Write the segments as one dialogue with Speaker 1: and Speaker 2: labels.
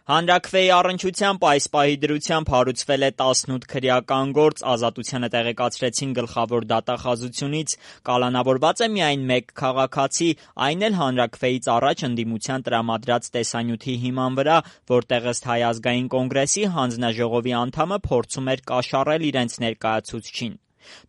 Speaker 1: Հանրաքվեի առնչությամբ այս պահի դրությամբ հարուցվել է 18 քրեական գործ, Ազատությանը տեղեկացրեցին գլխավոր դատախազությունից, կալանավորված է միայն մեկ քաղաքացի, այն էլ հանրաքվեից առաջ ընդդիմության տրամադրած տեսանյութի հիման վրա, որտեղ ըստ Հայ ազգային կոնգրեսի հանձնաժողովի անդամը փորձում էր կաշառել իրենց ներկայացուցչին։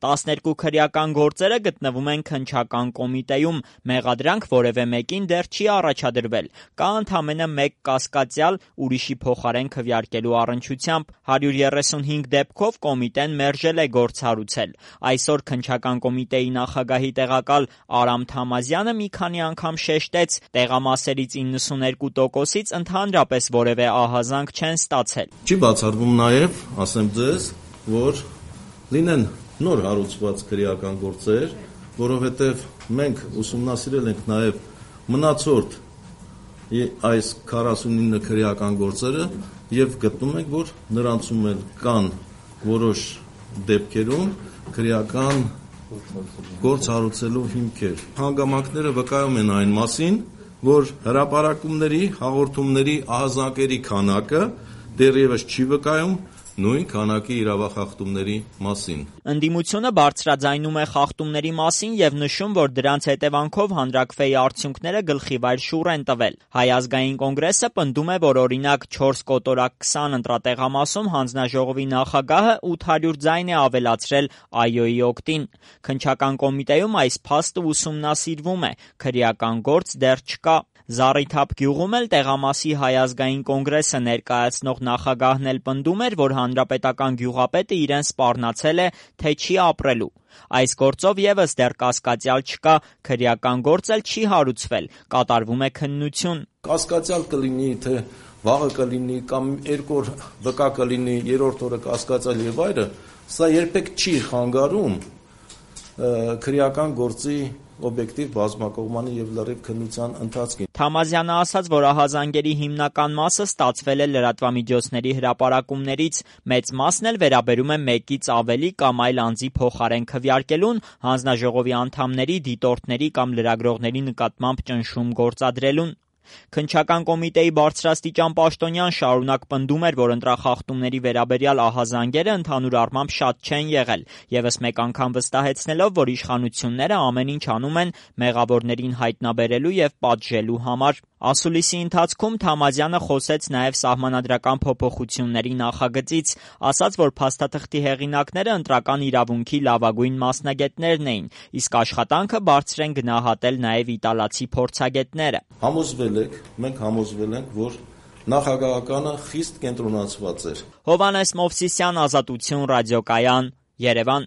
Speaker 1: 12 քրեական գործերը գտնվում են քննչական կոմիտեում, մեղադրանք որևէ մեկին դեռ չի առաջադրվել, կա ընդամենը մեկ կասկածյալ ուրիշի փոխարեն քվեարկելու առնչությամբ, 135 դեպքով կոմիտեն մերժել է գործ հարուցել։ Այսօր քննչական կոմիտեի նախագահի տեղակալ Արամ Թամազյանը մի քանի անգամ շեշտեց, տեղամասերից 92%-ից ընդհանրապես որևէ ահազանգ չեն ստացել։
Speaker 2: Չի բացառվում նաև, ասեմ ձեզ, որ լինեն նոր հարուցված քրեական գործեր, որովհետև մենք ուսումնասիրել ենք նաև մնացորդ այս 49 քրեական գործերը եւ գտնում ենք, որ նրանցում էլ կան որոշ դեպքերում քրեական գործ հարուցելու հիմքեր։ Հանգամանքները վկայում են այն մասին, որ հրապարակումների, հաղորդումների ահազանգերի քանակը դեռևս չի վկայում նույն քանակի իրավախախտումների մասին։
Speaker 1: Ընդդիմությունը բարձրաձայնում է խախտումների մասին եւ նշում, որ դրանց հետևանքով հանրաքվեի արդյունքները գլխիվայր շուռ են տվել։ Հայ ազգային կոնգրեսը պնդում է, որ օրինակ 4/20 ընտրատեղամասում հանձնաժողովի նախագահը 800 ձայն է ավելացրել ԱՅՈ-ի օգտին։ Քննչական կոմիտեում այս փաստը ուսումնասիրվում է, քրեական գործ դեռ չկա։ Զառիթափ գյուղում էլ տեղամասի Հայ ազգային կոնգրեսը ներկայացնող նախագահն էլ պնդում էր, որ հանրապետական գյուղապետը իրեն սպառնացել է, թե չի ապրելու։ Այս գործով եւս դեռ կասկածյալ չկա, քրեական գործ էլ չի հարուցվել, կատարվում է քննություն։
Speaker 2: Կասկածյալ կլինի, թե վաղը կլինի կամ երկու օր վկա կլինի, երրորդ օրը կասկածյալ եւ այլը, սա երբեք չի խանգարում քրեական գործի օբյեկտիվ բազմակողմանի եւ լրիվ քննության ընթացքին։
Speaker 1: Թամազյանը ասաց, որ ահազանգերի հիմնական մասը ստացվել է լրատվամիջոցների հրապարակումներից, մեծ մասն էլ վերաբերում է մեկից ավելի կամ այլ անձի փոխարեն քվեարկելուն, հանձնաժողովի անդամների, դիտորդների կամ լրագրողների նկատմամբ ճնշում գործադրելուն։ Քննչական կոմիտեի բարձրաստիճան պաշտոնյան շարունակ պնդում էր, որ ընտրախախտումների վերաբերյալ ահազանգերը ընդհանուր առմամբ շատ չեն եղել, եւս մեկ անգամ վստահեցնելով, որ իշխանությունները ամեն ինչ անում են մեղավորներին հայտնաբերելու եւ պատժելու համար։ Ասուլիսի ընթացքում Թամազյանը խոսեց նաև սահմանադրական փոփոխությունների նախագծից, ասաց, որ փաստաթղթի հեղինակները ընտրական իրավունքի լավագույն մասնագետներն էին, իսկ աշխատանքը բարձր են գնահատել նաև իտալացի փորձագետները։
Speaker 2: Մենք համոզվել ենք, որ նախագահականը խիստ կենտրոնացված էր։
Speaker 1: Հովհաննես Մովսիսյան, Ազատություն ռադիոկայան, Երևան։